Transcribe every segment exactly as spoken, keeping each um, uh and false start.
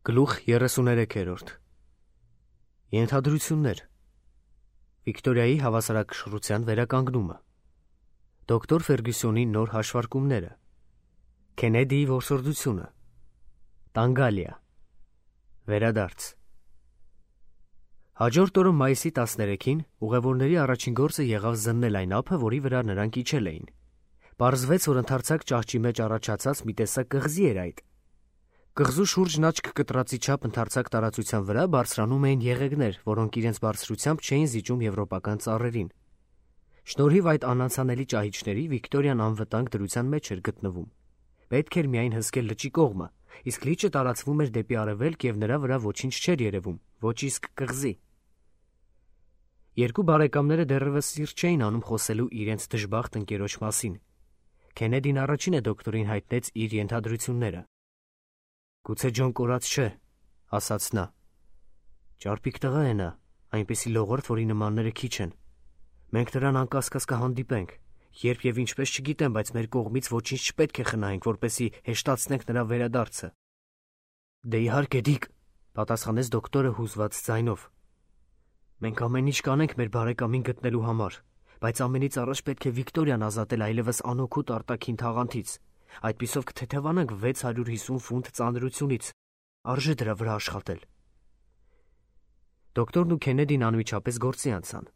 Գլուխ երեսուներեքերորդ Ենթադրություններ Վիկտորիայի հավասարակշռության վերականգնումը Դոկտոր Ֆերգյուսոնի նոր հաշվարկումները Քենեդիի որսորդությունը Տանգալիա Վերադարձ Հաջորդ օրը մայիսի տասներեքին ուղևորների առաջին գործը եղավ զննել այն ափը, որի վրա նրանք իջել էին։ Պարզվեց, որ ընդարձակ ճահճի մեջ առաջացած մի տեսակ կղզի էր այդ։ Կղզու շուրջն աչք կտրածի չափ ընդարձակ տարածության վրա բարձրանում էին եղեգներ, որոնք իրենց բարձրությամբ չէին զիջում եվրոպական ծառերին։ Շնորհիվ այդ անանցանելի ճահիճների Վիկտորիան անվտանգ դրության մեջ էր գտնվում։ Պետք էր միայն հսկել լճի կողմը, իսկ լիճը տարածվում էր դեպի արևելք և նրա վրա ոչինչ չէր երևում, ոչ իսկ կղզի։ Երկու բարեկամները դեռևս սիրտ չէին անում խոսելու իրենց դժբախտ ընկերոջ մասին։ Քենեդին առաջինը դոկտորին հայտնեց իր ենթադրությունները։ Գուցե Ջոն կորած չէ, ասաց նա։ Ճարպիկ տղա է նա, այնպիսի լողորդ, որի նմանները քիչ են։ Մենք նրան անկասկած կհանդիպենք, երբ և ինչպես չգիտեմ, բայց մեր կողմից ոչինչ չպետք է խնայենք, որպեսզի հեշտացնենք նրա վերադարձը։ Դե իհարկե, Դիկ, պատասխանեց դոկտորը հուզված ձայնով։ Մենք ամեն ինչ կանենք մեր բարեկամին գտնելու համար, բայց ամենից առաջ պետք է Վիկտորիան ազատել այլևս անօգուտ արտաքին թաղանթից։ Այդպիսով կթեթևանանք վեց հարյուր հիսուն ֆունտ ծանրությունից, արժե դրա վրա աշխատել։ Դոկտորն ու Քենեդին անմիջապես գործի անցան։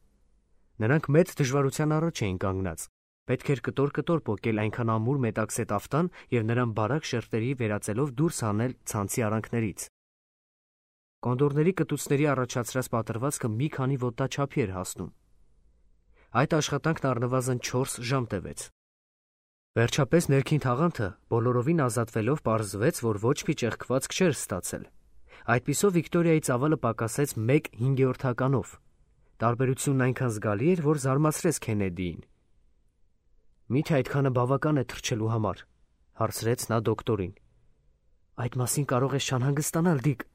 Նրանք մեծ դժվարության առաջ էին կանգնած։ Պետք էր կտոր-կտոր պոկել այնքան ամուր մետաքսե տաֆտան և նրան բարակ շերտերի վերածելով դուրս հանել ցանցի արանքներից։ Կոնդորների կտուցների առաջացրած պատրվածքը մի քանի ոտնաչափի էր հասնում։ Այդ աշխատանքն առնվազն չորս ժամ տևեց։ Վերջապես ներքին թաղանթը բոլորովին ազատվելով պարզվեց, որ ոչ մի ճեղքվածք չէր ստացել։ Այդպիսով Վիկտորիայի ծավալը պակասեց մեկ հինգերորդականով։ Տարբերությունն այնքան զգալի էր, որ զարմացրեց Քենեդիին։ Մի՞թե այդքանը բավական է թռչելու համար, հարցրեց նա դոկտորին։ Այդ մասին կարող ես չանհանգստանալ, Դիկ։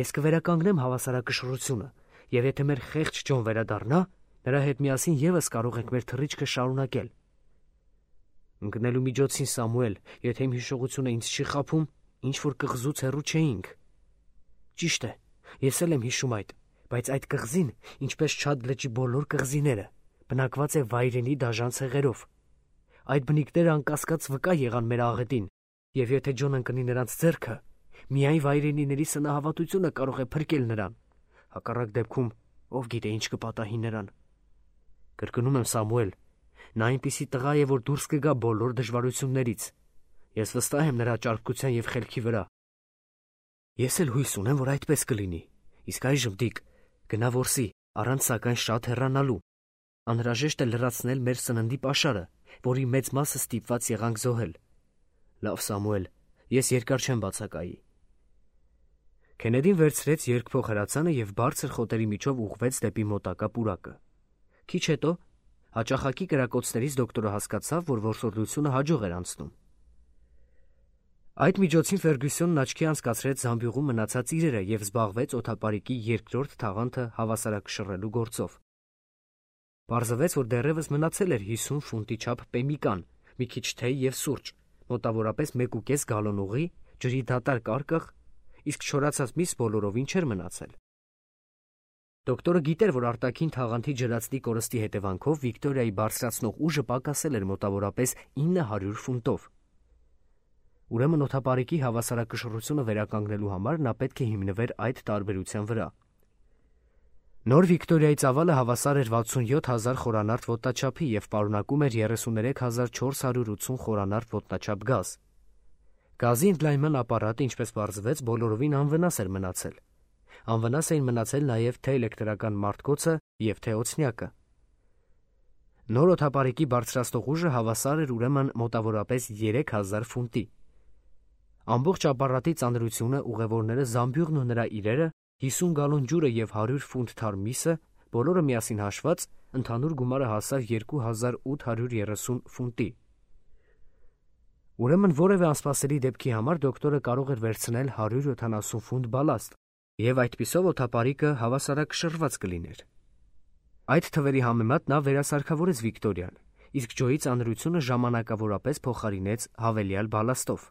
Ես կվերականգնեմ հավասարակշռությունը, և եթե մեր խեղճ Ջոն վերադառնա, նրա հետ միասին ևս կարող ենք մեր թռիչքը շարունակել։ Ընկնելու միջոցին, Սամուել, եթե իմ հիշողությունը ինձ չի խաբում, ինչ-որ կղզուց հեռու չէինք։ Ճիշտ է, ես էլ եմ հիշում այդ, բայց այդ կղզին, ինչպես Չադ լճի բոլոր կղզիները, բնակված է վայրենի դաժան ցեղերով։ Այդ բնիկները անկասկած վկա եղան մեր աղետին, և եթե Ջոն ընկնի նրանց ձեռքը, միայն վայրենիների սնահավատությունը կարող է փրկել նրան։ Հակառակ դեպքում ով գիտե ինչ կպատահի նրան։ Կրկնում եմ, Սամուել, նա այնպիսի տղա է, որ դուրս կգա բոլոր դժվարություններից։ Ես վստահ եմ նրա ճարպկության և խելքի վրա։ Ես էլ հույս ունեմ, որ այդպես կլինի։ Իսկ այժմ, Դիկ, գնա որսի, առանց սակայն շատ հեռանալու։ Անհրաժեշտ է լրացնել մեր սննդի պաշարը, որի մեծ մասը ստիպված եղանք զոհել։ Լավ, Սամուել, ես երկար չեմ բացակայի։ Քենեդին վերցրեց երկփող հրացանը և բարձր խոտերի միջով ուղղվեց դեպի մոտակա պուրակը։ Քիչ հետո հաճախակի կրակոցներից դոկտորը հասկացավ, որ որսորդությունը հաջող էր անցնում։ Այդ միջոցին Ֆերգյուսոնն աչքի անցկացրեց զամբյուղում մնացած իրերը և զբաղվեց օդապարիկի երկրորդ թաղանթը հավասարակշռելու գործով։ Պարզվեց, որ դեռևս մնացել էր հիսուն ֆունտի չափ պեմիկան, մի քիչ թեյ և սուրճ, մոտավորապես մեկ ու կես գալոն ուղի, ջրի դատարկ արկղ, իսկ չորացած միս բոլորովին չէր մնացել։ Դոկտորը գիտեր, որ արտաքին թաղանթի ջրածնի կորստի հետևանքով Վիկտորիայի բարձրացնող ուժը պակասել էր մոտավորապես ինը հարյուր ֆունտով։ Ուրեմն օդապարիկի հավասարակշռությունը վերականգնելու համար նա պետք է հիմնվեր այդ տարբերության վրա։ Նոր Վիկտորիայի ծավալը հավասար էր վաթսունյոթ հազար խորանարդ ոտնաչափի և պարունակում էր երեսուներեք հազար չորս հարյուր ութսուն խորանարդ ոտնաչափ գազ։ Գազի ընդլայնման ապարատը, ինչպես պարզվեց, բոլորովին անվնաս էր մնացել։ Անվնաս էին մնացել նաև թե էլեկտրական մարտկոցը և թե օձնյակը։ Նոր օդապարիկի բարձրացնող ուժը հավասար էր ուրեմն մոտավորապես երեք հազար ֆունտի։ Ամբողջ ապարատի ծանրությունը, ուղևորները, զամբյուղն ու նրա իրերը, հիսուն գալոն ջուրը և հարյուր ֆունտ թարմ միսը, բոլորը միասին հաշված, ընդհանուր գումարը հասավ երկու հազար ութ հարյուր երեսուն ֆունտի։ Ուրեմն որևէ անսպասելի դեպքի համար դոկտորը կարող էր վերցնել հարյուր յոթանասուն ֆունտ բալաստ, և այդպիսով օդապարիկը հավասարակշռված կլիներ։ Այդ թվերի համեմատ նա վերասարքավորեց Վիկտորիան, իսկ Ջոյի ծանրությունը ժամանակավորապես փոխարինեց հավելյալ բալաստով։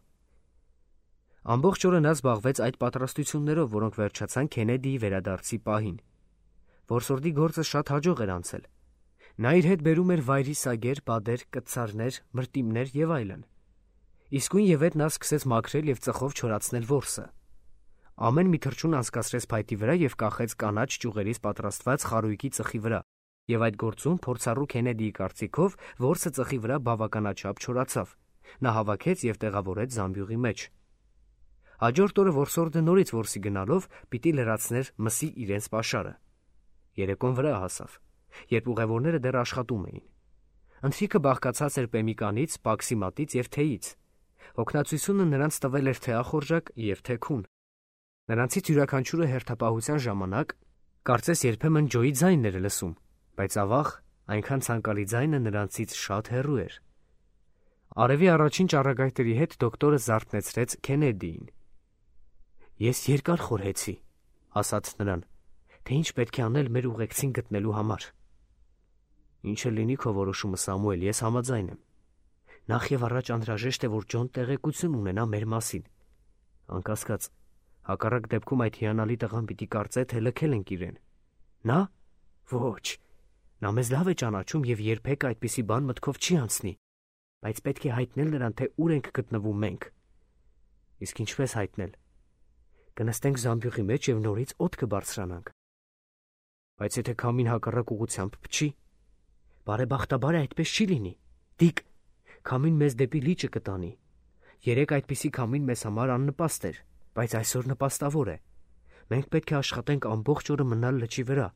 Ամբողջ օրը նա զբաղվեց այդ պատրաստություններով, որոնք վերջացան Քենեդիի վերադարձի պահին։ Որսորդի գործը շատ հաջող էր անցել։ Նա իր հետ բերում էր վայրի սագեր, բադեր, կտցարներ, մրտիմներ եւ այլն։ Իսկույն եւ հետ նա սկսեց մաքրել եւ ծխով չորացնել որսը։ Ամեն մի թռչուն անցկացրեց փայտի վրա եւ կախեց կանաչ ճյուղերից պատրաստված խարույկի ծխի վրա, եւ այդ գործում փորձառու Քենեդիի կարծիքով որսը ծխի վրա բավականաչափ չորացավ։ Նա հավաքեց եւ տեղավորեց զամբյուղի մեջ։ Հաջորդ օրը որսորդը նորից որսի գնալով պիտի լրացներ մսի իրենց պաշարը։ Երեկոն վրա հասավ, երբ ուղևորները դեռ աշխատում էին։ Ընթրիքը բաղկացած էր պեմիկանից, պաքսիմատից եւ թեյից։ Հոգնածությունը նրանց տվել էր թե ախորժակ եւ թե քուն։ Նրանցից յուրաքանչյուրը հերթապահության ժամանակ կարծես երբեմն ջոյի ձայնն էր լսում, բայց ավաղ այնքան ցանկալի ձայնը նրանցից շատ հեռու էր։ Արևի առաջին ճառագայթերի հետ դոկտորը զարթնեցրեց Քենեդիին։ Ես երկար խորհեցի, ասաց նրան, թե ինչ պետք է անել մեր ուղեկցին գտնելու համար։ Ինչը լինի քո որոշումը, Սամուել, ես համաձայն եմ։ Նախ եւ առաջ անհրաժեշտ է, որ Ջոն տեղեկություն ունենա մեր մասին։ Անկասկած, հակառակ դեպքում այդ հիանալի տղան պիտի կարծե, թե լքել ենք իրեն։ Նա։ Ոչ։ Նա մեզ լավ է ճանաչում եւ երբեք այդպիսի բան մտքով չի անցնի։ Բայց պետք է հայտնել նրան, թե ուր ենք գտնվում մենք։ Իսկ ինչպես հայտնել։ Կնստենք զամբյուղի մեջ եւ նորից օդ կբարձրանանք։ Բայց եթե քամին հակառակ ուղղությամբ փչի, բարեբախտաբար այդպես չի լինի։ Դիկ, քամին մեզ դեպի լիճը կտանի։ Երեք այդպիսի քամին մեզ համար աննպաստ էր, բայց այսօր նպաստավոր է։ Մենք պետք է աշխատենք ամբողջ օրը մնալ լճի վրա։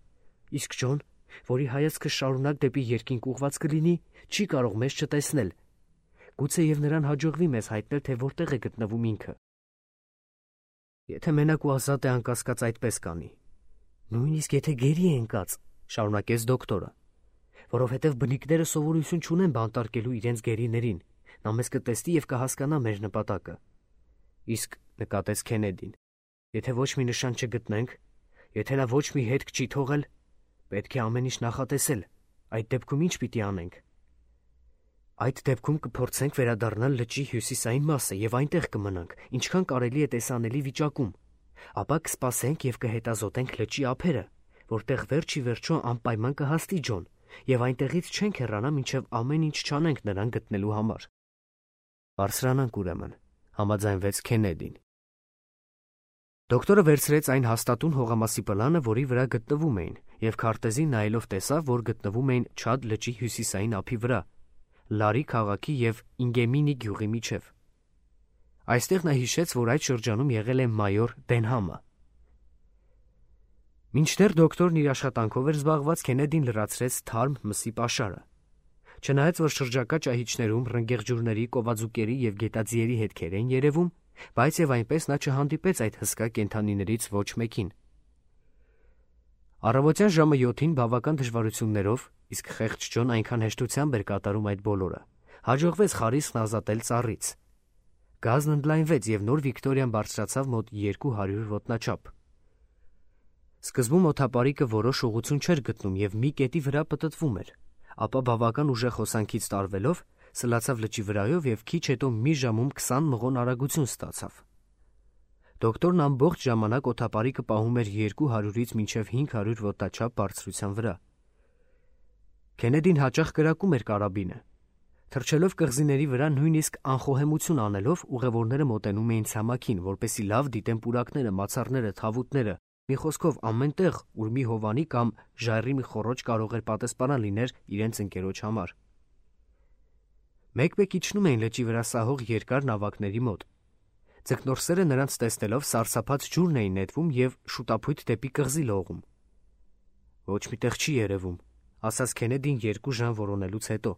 Իսկ Ջոն, որի հայացքը շարունակ դեպի երկինք ուղված կլինի, չի կարող մեզ չտեսնել։ Գուցե եւ նրան հաջողվի մեզ հայտնել, թե որտեղ է գտնվում ինքը։ Եթե մենակ ու ազատ է, անկասկած այդպես կանի։ Նույնիսկ եթե գերի է ընկած, շարունակեց դոկտորը, որովհետև բնիկները սովորություն չունեն բանտարկելու իրենց գերիներին, նա մեզ կտեսնի եւ կհասկանա մեր նպատակը։ Իսկ նկատեց Քենեդին, եթե ոչ մի նշան չգտնենք, եթե նա ոչ մի հետք չի թողել, պետք է ամեն ինչ նախատեսել։ Այդ դեպքում ինչ պիտի անենք։ Այդ դեպքում կփորձենք վերադառնալ լճի հյուսիսային մասը եւ այնտեղ կմնանք, ինչքան կարելի է տեսանելի վիճակում։ Ապա կսպասենք եւ կհետազոտենք լճի ափերը, որտեղ վերջի վերջո անպայման կհաստի Ջոն, եւ այնտեղից չենք հեռանա, մինչեւ ամեն ինչ չանենք նրան գտնելու համար։ Բարձրանանք ուրեմն, համաձայնվեց Քենեդին։ Դոկտորը վերցրեց այն հաստատուն հողամասի պլանը, որի վրա գտնվում էին, եւ քարտեզին նայելով տեսավ, որ գտնվում էին Չադ լճի հյուսիսային ափի վրա, Լարի քաղաքի եւ Ինգեմինի գյուղի միջև։ Այստեղ նա հիշեց, որ այդ շրջանում եղել է մայոր Դենհամը։ Մինչդեռ դոկտորն իր աշխատանքով էր զբաղված, Քենեդին լրացրեց թարմ մսի պաշարը։ Չնայած որ շրջակա ճահիճներում ռնգեղջյուրների, կովաձուկերի եւ գետաձիերի հետքեր էին երևում, բայց եւ այնպես նա չհանդիպեց այդ հսկա կենդանիներից ոչ մեկին։ Առավոտյան ժամը յոթին բավական դժվարություններով, իսկ խեղճ Ջոն այնքան հեշտությամբ էր կատարում այդ բոլորը, հաջողվեց խարիսկն ազատել ծառից։ Գազն ընդլայնվեց եւ նոր Վիկտորիան բարձրացավ մոտ երկու հարյուր ոտնաչափ։ Սկզբում օդապարիկը որոշ ուղղություն չէր գտնում եւ մի կետի վրա պտտվում էր, ապա բավական ուժեղ հոսանքից տարվելով սլացավ լճի վրայով եւ քիչ հետո մի ժամում քսան մղոն արագություն ստացավ։ Դոկտորն ամբողջ ժամանակ օդապարիկը պահում էր երկու հարյուրից մինչև հինգ հարյուր ոտնաչափ բարձրության վրա։ Քենեդին հաճախ կրակում էր կարաբինը։ Թռչելով կղզիների վրա նույնիսկ անխոհեմություն անելով ուղևորները մոտենում էին ցամաքին, որպեսզի լավ դիտեն պուրակները, մացառները, թավուտները, մի խոսքով ամենտեղ, ուր մի հովանի կամ ժայռի մի խոռոչ կարող էր պատասպանան լիներ իրենց ընկերոջ համար։ Մեկ-մեկ իջնում էին լճի վրա սահող երկար նավակների մոտ։ Ձկնորսերը նրանց տեսնելով սարսափած ջուրն էին նետվում եւ շուտափույթ դեպի կղզի լողում։ Ոչ մի տեղ չի երևում, ասաց Քենեդին երկու ժամ որոնելուց հետո։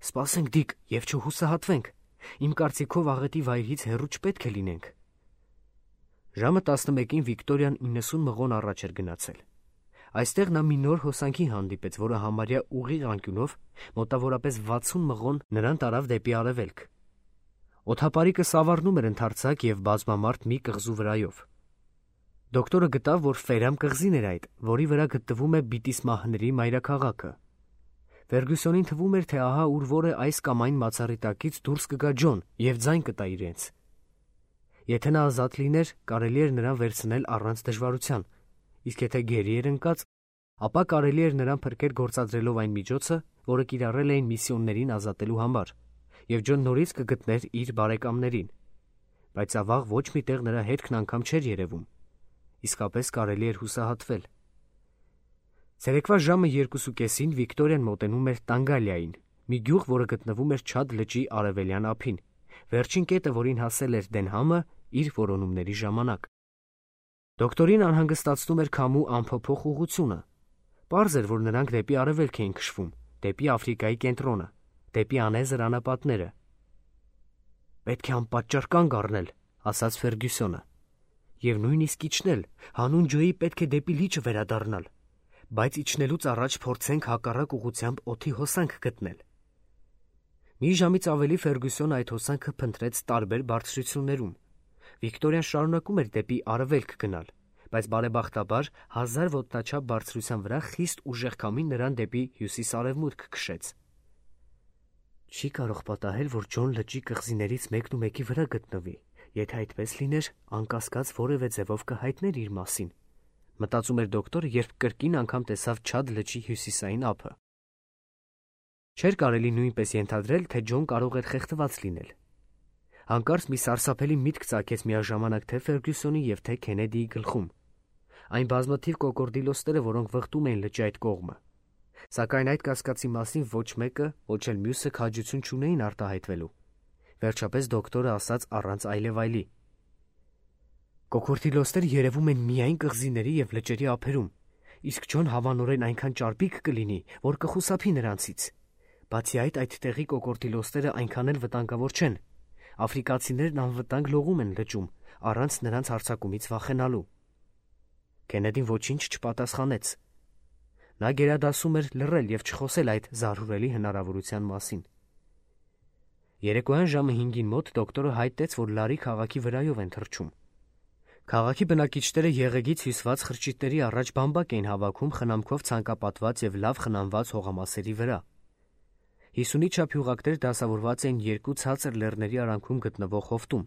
Սպասենք դիկ եւ չհուսահատվենք։ Իմ կարծիքով աղետի վայրից հեռու չպետք է լինենք։ Ժամը տասնմեկին Վիկտորիան իննսուն մղոն առաջ էր գնացել։ Այստեղ նա մի նոր հոսանքի հանդիպեց, որը համարյա ուղիղ անկյունով մոտավորապես վաթսուն մղոն նրան տարավ դեպի արևելք։ Օդապարիկը սավառնում էր ընդարձակ եւ բազմամարդ մի կղզու վրայով։ Դոկտորը գտավ, որ Ֆերամ կղզին էր այդ, որի վրա գտնվում է Բիտիսմահների մայրաքաղաքը։ Ֆերգուսոնին թվում էր, թե ահա ուր որ է այս կամ այն մացառի տակից դուրս կգա Ջոն եւ ձայն կտա իրենց։ Եթե նա ազատ լիներ, կարելի էր նրան վերցնել առանց դժվարության, իսկ եթե գերի էր ընկած, ապա կարելի էր նրան փրկել գործադրելով այն միջոցը, որը կիրառել էին միսիոներին ազատելու համար, եւ Ջոն նորից կգտներ իր բարեկամներին, բայց ավաղ ոչ մի տեղ նրա հետքն անգամ չէր երևում։ Իսկապես կարելի էր հուսահատվել։ Ցերեկվա ժամը երկուսուկեսին Վիկտորիան մոտենում էր Տանգալիային, մի գյուղ, որը գտնվում էր Չադ լճի արևելյան ափին, վերջին կետը, որին հասել էր Դենհամը իր որոնումների ժամանակ։ Դոկտորին անհանգստացնում էր քամու անփոփոխ ուղղությունը։ Պարզ էր, որ նրանք դեպի արևելք էին քշվում, դեպի Աֆրիկայի կենտրոնը, դեպի անեզր անապատները։ «Պետք է անպատճառ կանգ առնել», ասաց Ֆերգյուսոնը, «եւ նույնիսկ իջնել, հանուն Ջոյի պետք է դեպի լիճը վերադառնալ, բայց իջնելուց առաջ փորձենք հակառակ ուղղությամբ օդի հոսանք գտնել»։ Մի ժամից ավելի Ֆերգյուսոնը այդ հոսանքը փնտրեց տարբեր բարձրություններում։ Վիկտորիան շարունակում էր դեպի արևելք գնալ, բայց բարեբախտաբար հազար ոտնաչափ բարձրության վրա խիստ ուժեղ քամին նրան դեպի հյուսիս-արևմուտք քշեց։ Չի կարող պատահել, որ Ջոն լճի կղզիներից մեկն ու մեկի վրա գտնվի, եթե այդպես լիներ, անկասկած որևէ ձևով կհայտներ իր մասին, մտածում էր դոկտորը, երբ կրկին անգամ տեսավ Չադ լճի հյուսիսային ափը։ Չէր կարելի նույնպես ենթադրել, թե Ջոն կարող էր խեղդված լինել։ Հանկարծ մի սարսափելի միտք ծագեց միաժամանակ թե Ֆերգյուսոնի և թե Քենեդիի գլխում։ Այն բազմաթիվ կոկորդիլոսները, որոնք վխտում էին լճի այդ կողմը։ Սակայն այդ կասկածի մասին ոչ մեկը, ոչ էլ մյուսը քաջություն չունեին արտահայտվելու։ Վերջապես դոկտորը ասաց առանց այլևայլի. Կոկորդիլոսները երևում են միայն կղզիների և լճերի ափերում, իսկ Ջոն հավանորեն այնքան ճարպիկ կլինի, որ կխուսափի նրանցից։ Բացի այդ, այդ տեղի կոկորդիլոսները այնքան էլ վտանգավոր չեն։ Աֆրիկացիներն անվտանգ լողում են լճում, առանց նրանց հարձակումից վախենալու։ Քենեդին ոչինչ չպատասխանեց։ Նա գերադասում էր լռել և չխոսել այդ զարհուրելի հնարավորության մասին։ Երեկոյան ժամը հինգին մոտ դոկտորը հայտնեց, որ Լարի քաղաքի վրայով են թռչում։ Քաղաքի բնակիչները եղեգից հյուսված խրճիթների առաջ բամբակ էին հավաքում խնամքով ցանկապատված և լավ խնամված հողամասերի վրա։ Հիսունի չափ հյուղակներ դասավորված էին երկու ցածր լեռների արանքում գտնվող հովտում։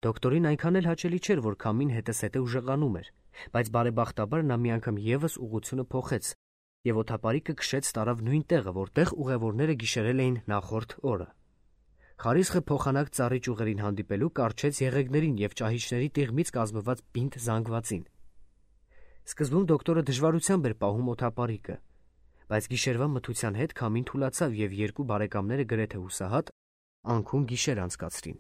Դոկտորին այնքան էլ հաճելի չէր, որ քամին հետզհետե ուժեղանում էր, բայց բարեբախտաբար նա մի անգամ ևս ուղղությունը փոխեց և օդապարիկը քշեց տարավ նույն տեղը, որտեղ ուղևորները գիշերել էին նախորդ օրը։ Խարիսխը փոխանակ ծառի ճյուղերին հանդիպելու կառչեց եղեգներին և ճահիճների տիղմից կազմված պինդ զանգվածին։ Սկզբում դոկտորը դժվարությամբ էր պահում օդապարիկը, բայց գիշերվա մթության հետ քամին թուլացավ և երկու բարեկամները գրեթե հուսահատ անքուն գիշեր անցկացրին։